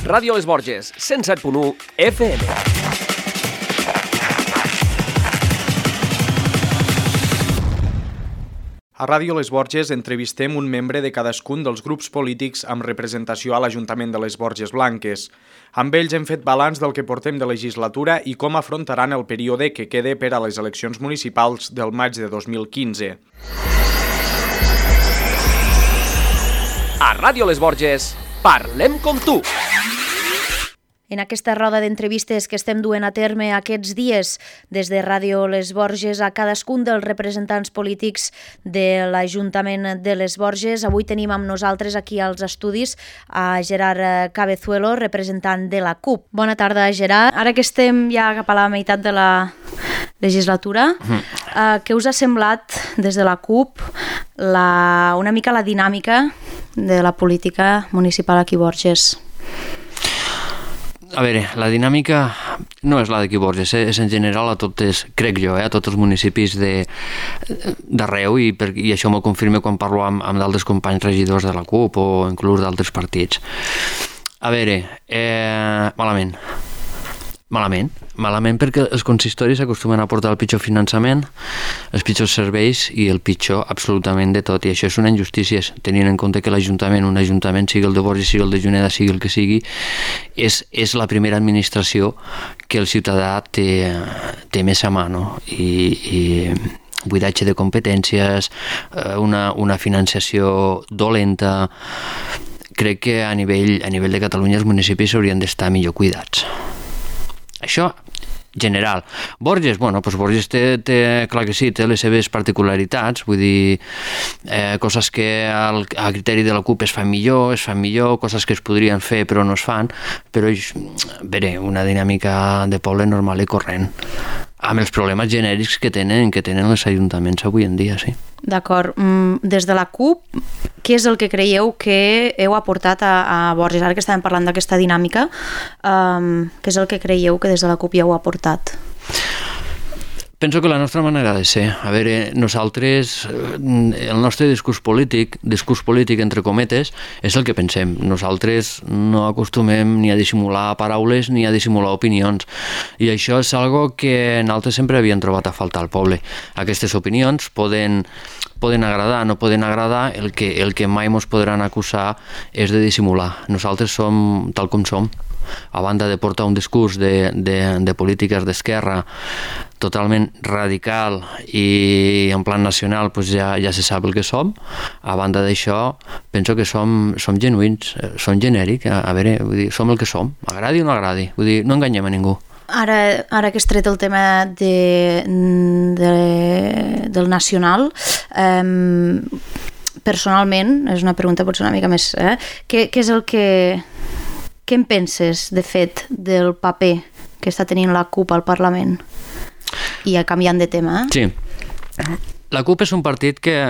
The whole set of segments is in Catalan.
Ràdio Les Borges, 107.1 FM. A Ràdio Les Borges entrevistem un membre de cadascun dels grups polítics amb representació a l'Ajuntament de les Borges Blanques. Amb ells hem fet balanç del que portem de legislatura i com afrontaran el període que queda per a les eleccions municipals del maig de 2015. A Ràdio Les Borges, parlem com tu! En aquesta roda d'entrevistes que estem duent a terme aquests dies des de Ràdio Les Borges a cadascun dels representants polítics de l'Ajuntament de Les Borges, avui tenim amb nosaltres aquí als estudis a Gerard Cabezuelo, representant de la CUP. Bona tarda, Gerard. Ara que estem ja cap a la meitat de la legislatura, què us ha semblat des de la CUP una mica la dinàmica de la política municipal aquí a Borges? A veure, la dinàmica no és la d'aquí Borges, és en general a totes, crec jo, a tots els municipis d'arreu i això m'ho confirma quan parlo amb d'altres companys regidors de la CUP o inclús d'altres partits. A veure, malament perquè els consistoris acostumen a portar el pitjor finançament, els pitjors serveis i el pitjor absolutament de tot, i això és una injustícia, tenint en compte que un ajuntament, sigui el de Borges, sigui el de Juneda, sigui el que sigui, és la primera administració que el ciutadà té més a mà, no? I buidatge de competències, una finançació dolenta. Crec que a nivell de Catalunya els municipis haurien d'estar millor cuidats. Això, general. Borges, doncs Borges clar que sí, té les seves particularitats, vull dir, coses que a criteri de la CUP es fan millor, coses que es podrien fer però no es fan, però bé, una dinàmica de poble normal i corrent, amb els problemes genèrics que tenen els ajuntaments avui en dia, sí. D'acord. Des de la CUP, què és el que creieu que heu aportat a Borges? Ara que estàvem parlant d'aquesta dinàmica, què és el que creieu que des de la CUP ja heu aportat? Penso que la nostra manera de ser, a veure, nosaltres, el nostre discurs polític entre cometes, és el que pensem. Nosaltres no acostumem ni a dissimular paraules ni a dissimular opinions, i això és algo que nosaltres sempre havíem trobat a faltar al poble. Aquestes opinions poden agradar, no poden agradar, el que mai ens podran acusar és de dissimular. Nosaltres som tal com som. A banda de portar un discurs de polítiques d'esquerra totalment radical i en plan nacional, ja se sap el que som. A banda d'això, penso que som genuïns, som genèrics, a veure, vull dir, som el que som, agradi o no agradi, vull dir, no enganyem a ningú. Ara que has tret el tema del nacional, personalment, és una pregunta potser una mica més, què és el que... Què en penses, de fet, del paper que està tenint la CUP al Parlament? I canviant de tema, Sí. La CUP és un partit que, i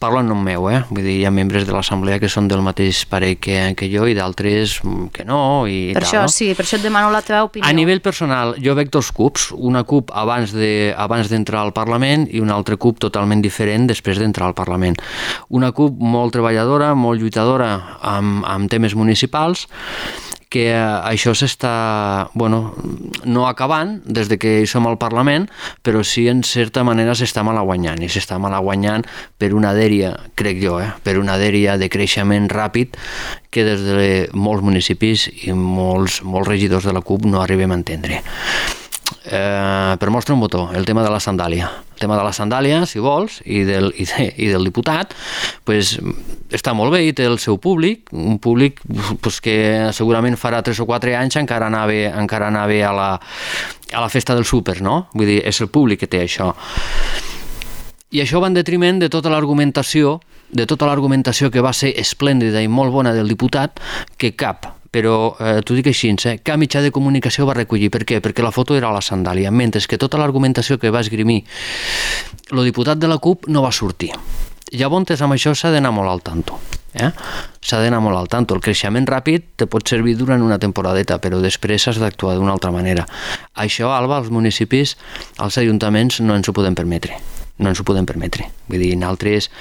parlo en nom meu, vull dir, hi ha membres de l'Assemblea que són del mateix parer que jo i d'altres que no, i per tal. Això, sí, per això et demano la teva opinió. A nivell personal, jo veig dos CUPs, una CUP abans d'entrar al Parlament i una altra CUP totalment diferent després d'entrar al Parlament. Una CUP molt treballadora, molt lluitadora amb temes municipals, que això s'està, no acabant des de que hi som al Parlament, però sí en certa manera s'està malaguanyant, i s'està malaguanyant per una dèria, crec jo, per una dèria de creixement ràpid que des de molts municipis i molts regidors de la CUP no arribem a entendre. Per mostra un botó, el tema de la sandàlia. El tema de la sandàlia, si vols, i del diputat, està molt bé i té el seu públic, un públic que segurament farà 3 o 4 anys encara anava a la festa del súper, no? Vull dir, és el públic que té això. I això va en detriment de tota l'argumentació que va ser esplèndida i molt bona del diputat, que però t'ho dic així, cap mitjà de comunicació va recollir. Per què? Perquè la foto era a la sandàlia, mentre que tota l'argumentació que va esgrimir el diputat de la CUP no va sortir. Llavors, amb això s'ha d'anar molt al tanto. S'ha d'anar molt al tanto. El creixement ràpid te pot servir durant una temporadeta, però després has d'actuar d'una altra manera. Això, Alba, als municipis, als ajuntaments no ens ho podem permetre. no ens ho podem permetre. Vull dir, nosaltres,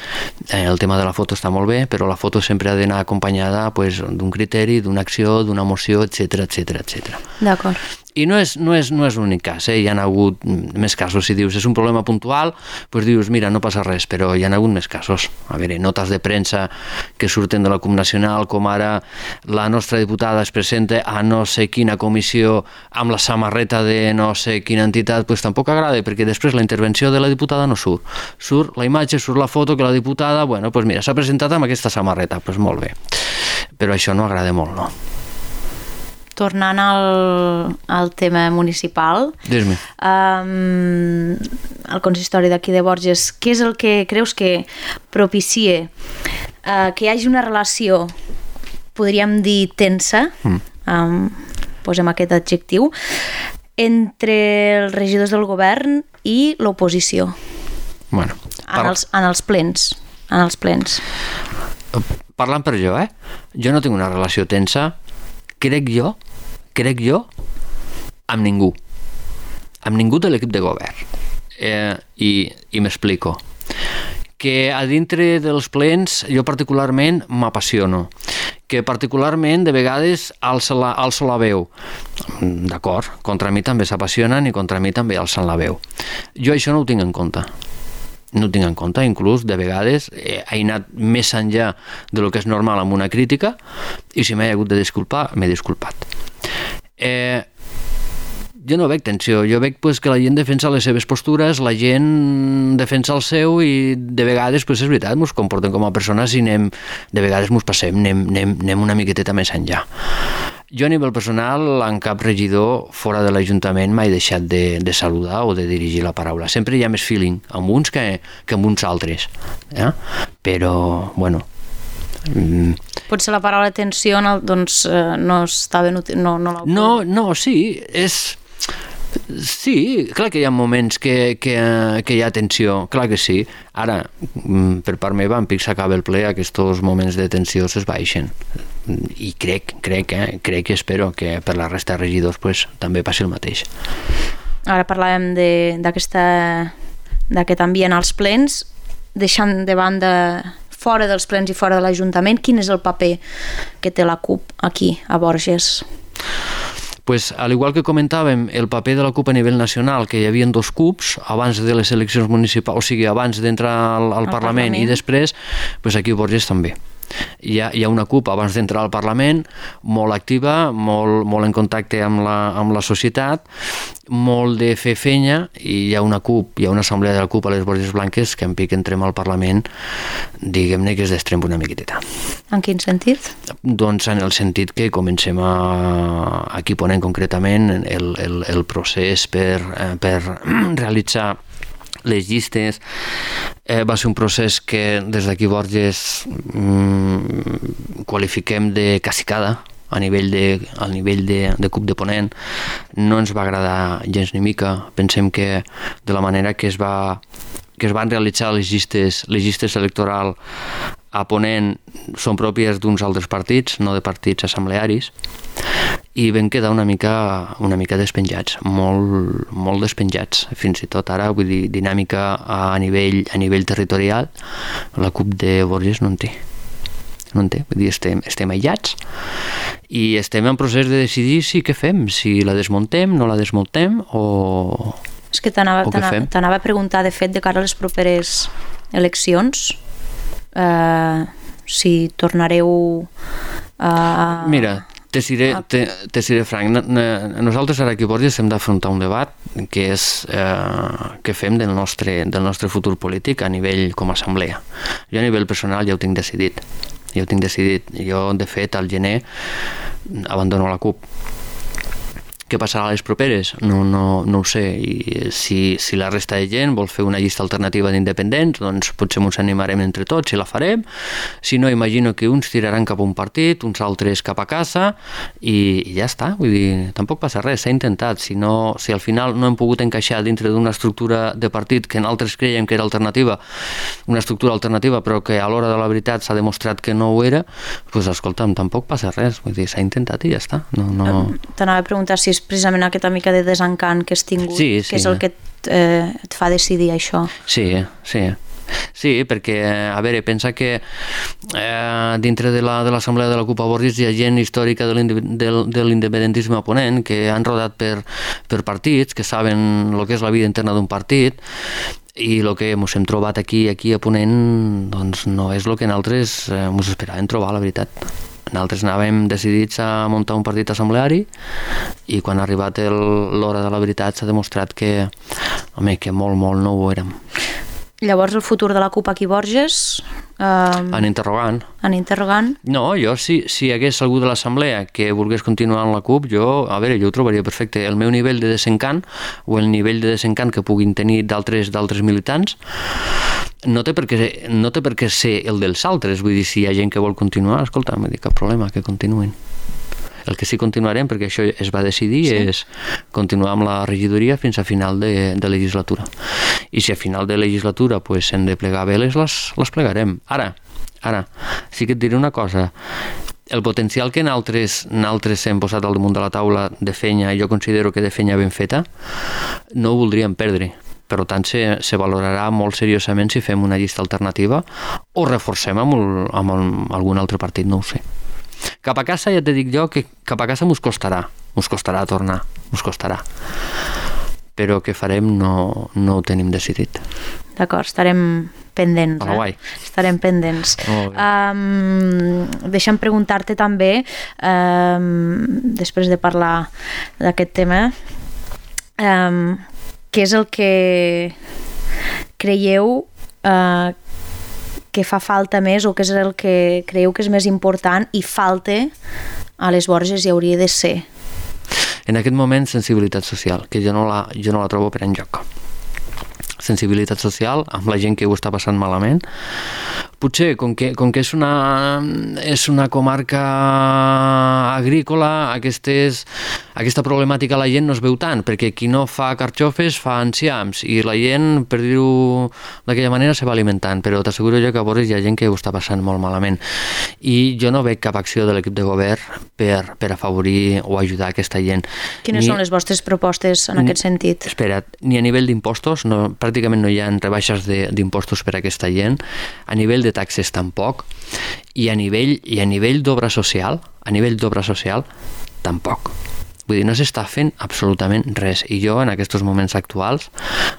el tema de la foto està molt bé, però la foto sempre ha d'anar acompanyada d'un criteri, d'una acció, d'una emoció, etc etc. D'acord. I no és l'únic cas, hi ha hagut més casos. Si dius és un problema puntual, doncs dius, mira, no passa res, però hi ha hagut més casos. A veure, notes de premsa que surten de la CUP Nacional, com ara la nostra diputada es presenta a no sé quina comissió amb la samarreta de no sé quina entitat, doncs tampoc agrada, perquè després la intervenció de la diputada no surt. Surt la imatge, surt la foto que la diputada, bueno, doncs mira, s'ha presentat amb aquesta samarreta, doncs molt bé. Però això no agrada molt, no? Tornant al tema municipal, Dis-me. El consistori d'aquí de Borges, què és el que creus que propicia que hi hagi una relació, podríem dir, tensa, posem aquest adjectiu, entre els regidors del govern i l'oposició? Bueno, en els plens. Parlant per jo, jo no tinc una relació tensa, crec jo, amb ningú de l'equip de govern. I m'explico. Que a dintre dels plens jo particularment m'apassiono, que particularment de vegades alço la veu. D'acord, contra mi també s'apassionen i contra mi també alcen la veu. Jo això no ho tinc en compte. No ho tinc en compte, inclús de vegades he anat més enllà de lo que és normal amb una crítica i si m'he hagut de disculpar, m'he disculpat. Jo no veig tensió, jo veig que la gent defensa les seves postures, la gent defensa el seu i de vegades, és veritat, ens comportem com a persones i de vegades ens passem, anem una miqueteta més enllà. Jo a nivell personal, en cap regidor fora de l'Ajuntament m'he deixat de saludar o de dirigir la paraula. Sempre hi ha més feeling amb uns que amb uns altres. Però, bueno... Potser la paraula tensió doncs, no està ben útil. No, sí, és... Sí, clar que hi ha moments que hi ha tensió, clar que sí. Ara, per part meva, en pic s'acaba el ple, aquests moments de tensió s'esbaixen. I crec i espero que per la resta de regidors també passi el mateix. Ara parlàvem d'aquest ambient als plens, deixant de banda fora dels plens i fora de l'Ajuntament, quin és el paper que té la CUP aquí, a Borges? Al igual que comentàvem el paper de la CUP a nivell nacional, que hi havia 2 CUPs abans de les eleccions municipals, o sigui, abans d'entrar al Parlament i després, aquí a Borges també. Hi ha una CUP abans d'entrar al Parlament molt activa, molt en contacte amb la societat, molt de fer fenya, i hi ha una CUP, hi ha una assemblea de la CUP a les Borges Blanques que en pic entrem al Parlament, diguem-ne que es destrempa una miqueteta. En quin sentit? Doncs en el sentit que comencem aquí ponent concretament el procés per realitzar les llistes. Va ser un procés que des d'aquí Borges qualifiquem de cacicada a nivell de CUP de ponent. No ens va agradar gens ni mica. Pensem que de la manera que es van realitzar les llistes electorals a ponent són pròpies d'uns altres partits, no de partits assemblearis, i vam quedar una mica despenjats, molt despenjats, fins i tot ara, vull dir, dinàmica a nivell territorial, la CUP de Borges no en té, vull dir, estem aïllats i estem en procés de decidir què fem, si la desmuntem, no la desmuntem o... És que t'anava a preguntar, de fet, de cara a les properes eleccions, si tornareu a... Mira, te seré franc, nosaltres ara aquí a Borges hem d'afrontar un debat que és què fem del nostre futur polític a nivell com a assemblea. Jo a nivell personal ja ho tinc decidit. Jo, de fet, al gener abandono la CUP. Què passarà a les properes? No ho sé. I si la resta de gent vol fer una llista alternativa d'independents, doncs potser ens animarem entre tots i la farem. Si no, imagino que uns tiraran cap a un partit, uns altres cap a casa i ja està. Vull dir, tampoc passa res, s'ha intentat. Si al final no hem pogut encaixar dintre d'una estructura de partit que nosaltres creiem que era alternativa, una estructura alternativa, però que a l'hora de la veritat s'ha demostrat que no ho era, doncs escolta'm, tampoc passa res. Vull dir, s'ha intentat i ja està. T'anava a preguntar si és precisament aquesta mica de desencant que has tingut, que és el que et fa decidir això. Sí, perquè, a veure, pensa que dintre de l'assemblea de la CUP a Borges hi ha gent històrica de l'independentisme a Ponent que han rodat per partits, que saben el que és la vida interna d'un partit, i el que ens hem trobat aquí a Ponent doncs no és el que nosaltres ens esperàvem trobar, la veritat. Nosaltres anàvem decidits a muntar un partit assembleari i quan ha arribat l'hora de la veritat s'ha demostrat que molt no ho érem. Llavors el futur de la CUP aquí a Borges... En interrogant. No, jo si hi hagués algú de l'assemblea que volgués continuar en la CUP, jo ho trobaria perfecte. El meu nivell de desencant o el nivell de desencant que puguin tenir d'altres militants no té per què ser el dels altres. Vull dir, si hi ha gent que vol continuar, escolta, no hi ha cap problema, que continuïn. El que sí continuarem, perquè això es va decidir, és continuar amb la regidoria fins a final de legislatura. I si a final de legislatura hem de plegar veles, les plegarem. Ara, sí que et diré una cosa. El potencial que nosaltres hem posat al damunt de la taula de feina, jo considero que de feina ben feta, no ho voldríem perdre. Per tant, se valorarà molt seriosament si fem una llista alternativa o reforcem amb algun altre partit, no ho sé. Cap a casa ja te dic jo que cap a casa mos costarà tornar, però què farem no ho tenim decidit. D'acord, estarem pendents. Estarem pendents. Deixa'm preguntar-te també, després de parlar d'aquest tema, què és el que creieu que fa falta més o què és el que creieu que és més important i falta a les Borges i hauria de ser? En aquest moment, sensibilitat social, que jo no la trobo per enlloc. Sensibilitat social amb la gent que ho està passant malament. Potser, com que és una comarca agrícola, aquesta problemàtica la gent no es veu tant, perquè qui no fa carxofes fa enciams, i la gent, per dir-ho d'aquella manera, se va alimentant, però t'asseguro jo que a Borges hi ha gent que ho està passant molt malament. I jo no veig cap acció de l'equip de govern per afavorir o ajudar aquesta gent. Quines són les vostres propostes en aquest sentit? Espera't, ni a nivell d'impostos, pràcticament no hi ha rebaixes d'impostos per a aquesta gent, a nivell de taxes tampoc, i a nivell d'obra social, tampoc. Vull dir, no s'està fent absolutament res, i jo en aquests moments actuals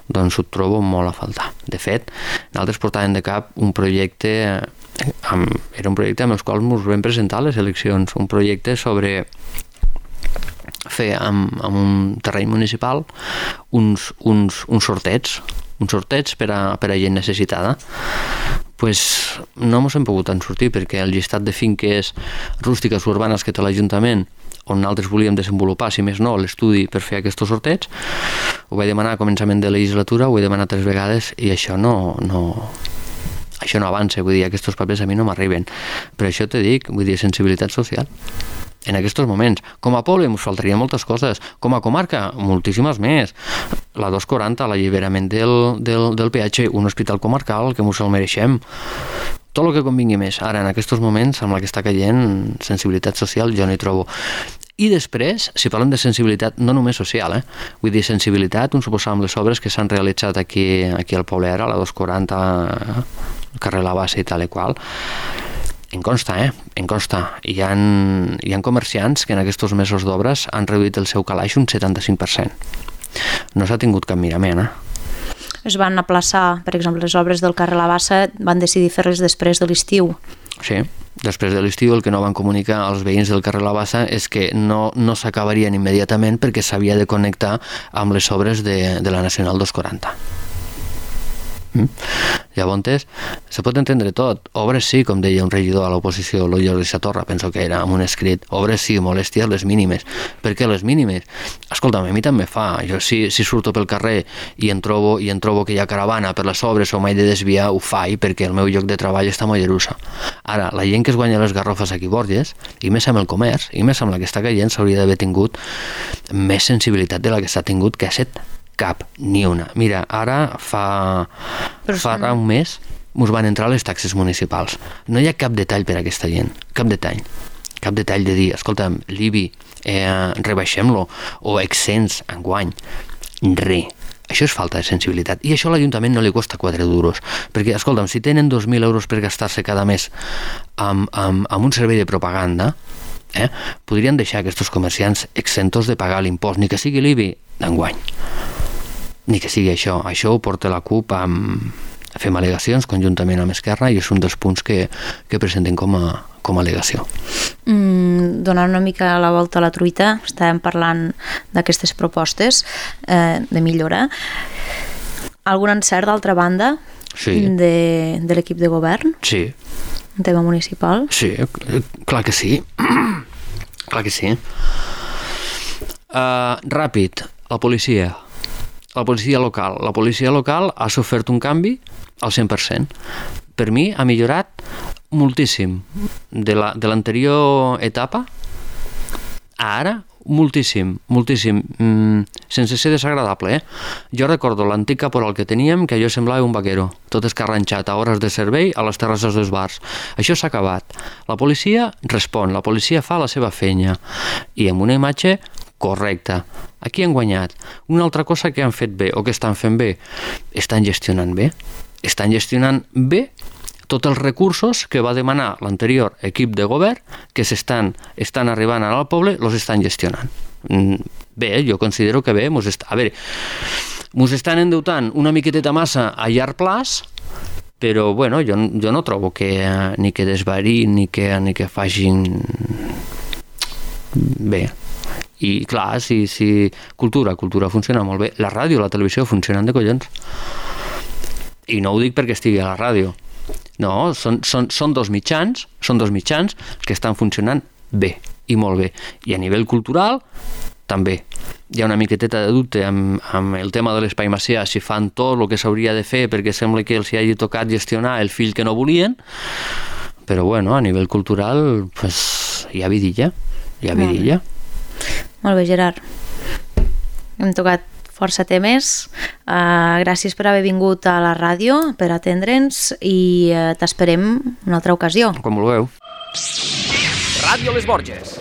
doncs ho trobo molt a faltar. De fet, nosaltres portàvem de cap un projecte, era un projecte amb el qual ens vam presentar a les eleccions, un projecte sobre fer amb un terreny municipal uns sorteigs per a gent necessitada. Pues no ens hem pogut en sortir perquè el llistat de finques rústiques urbanes que té l'Ajuntament, on nosaltres volíem desenvolupar, si més no, l'estudi per fer aquests sorteigs, ho vaig demanar a començament de legislatura, ho he demanat 3 vegades i això no avança, vull dir, aquests papers a mi no m'arriben. Per això te dic, vull dir, sensibilitat social. En aquests moments. Com a poble ens faltarien moltes coses, com a comarca moltíssimes més. La 240, l'alliberament del peatge, un hospital comarcal que ens el mereixem, tot el que convingui més. Ara, en aquests moments, amb la que està caient sensibilitat social, jo no hi trobo. I després, si parlem de sensibilitat no només social, vull dir sensibilitat, un suposar amb les obres que s'han realitzat aquí al poble ara, la 240, el carrer La Bassa i tal i qual, em consta. Hi ha comerciants que en aquests mesos d'obres han reduït el seu calaix un 75%. No s'ha tingut cap mirament, Es van aplaçar, per exemple, les obres del carrer La Bassa, van decidir fer-les després de l'estiu. Sí, després de l'estiu el que no van comunicar als veïns del carrer La Bassa és que no s'acabarien immediatament perquè s'havia de connectar amb les obres de la Nacional 240. Llavors, se pot entendre tot. Obres sí, com deia un regidor a l'oposició, el Jordi Satorra, penso que era amb un escrit, obres sí, molèsties les mínimes. Per què les mínimes? Escolta'm, a mi també fa. Jo si surto pel carrer i en trobo que hi ha caravana per les obres o m'he de desviar, ho faig perquè el meu lloc de treball està a Mollerussa. Ara, la gent que es guanya les garrofes aquí a Borges, i més amb el comerç, i més amb la que està caient, s'hauria d'haver tingut més sensibilitat de la que s'ha tingut, que ha set cap, ni una. Mira, ara fa un mes ens van entrar les taxes municipals. No hi ha cap detall per a aquesta gent, cap detall de dir, escolta'm, l'IBI rebaixem-lo, o exens enguany. Res. Això és falta de sensibilitat. I això a l'Ajuntament no li costa 4 duros. Perquè, escolta'm, si tenen 2.000 euros per gastar-se cada mes amb un servei de propaganda, podrien deixar aquests comerciants exentos de pagar l'impost, ni que sigui l'IBI d'enguany. Ni que sigui això. Això ho porta la CUP fem al·legacions conjuntament amb Esquerra i és un dels punts que presenten com a al·legació. Donant una mica la volta a la truita, estàvem parlant d'aquestes propostes de millora. Algun encert, d'altra banda, de l'equip de govern? Sí. Un tema municipal? Sí, clar que sí. Clar que sí. Ràpid, la policia local. La policia local ha sofert un canvi al 100%. Per mi ha millorat moltíssim de l'anterior etapa a ara, moltíssim, sense ser desagradable. Jo recordo l'antic caporal que teníem, que allò semblava un vaquero, tot escarranxat a hores de servei a les terrasses dels bars. Això s'ha acabat. La policia respon, la policia fa la seva feina i amb una imatge correcta. Aquí han guanyat. Una altra cosa que han fet bé o que estan fent bé, estan gestionant bé. Estan gestionant bé tots els recursos que va demanar l'anterior equip de govern, que estan arribant al poble, els estan gestionant. Bé, jo considero que bé. A veure, mos estan endeutant una miqueteta massa a llarg plaç, però bueno, jo no trobo que ni que desvarin ni que facin bé. I clar, si cultura funciona molt bé, la ràdio i la televisió funcionen de collons. I no ho dic perquè estigui a la ràdio. No, són dos mitjans que estan funcionant bé, i molt bé. I a nivell cultural, també. Hi ha una miqueteta de dubte amb el tema de l'Espai Macià, si fan tot el que s'hauria de fer perquè sembla que els hi hagi tocat gestionar el fill que no volien, però bueno, a nivell cultural pues, hi ha vidilla. Molt bé, Gerard. Hem tocat força temes. Gràcies per haver vingut a la ràdio, per atendre'ns i t'esperem una altra ocasió. Com vulgueu. Ràdio Les Borges.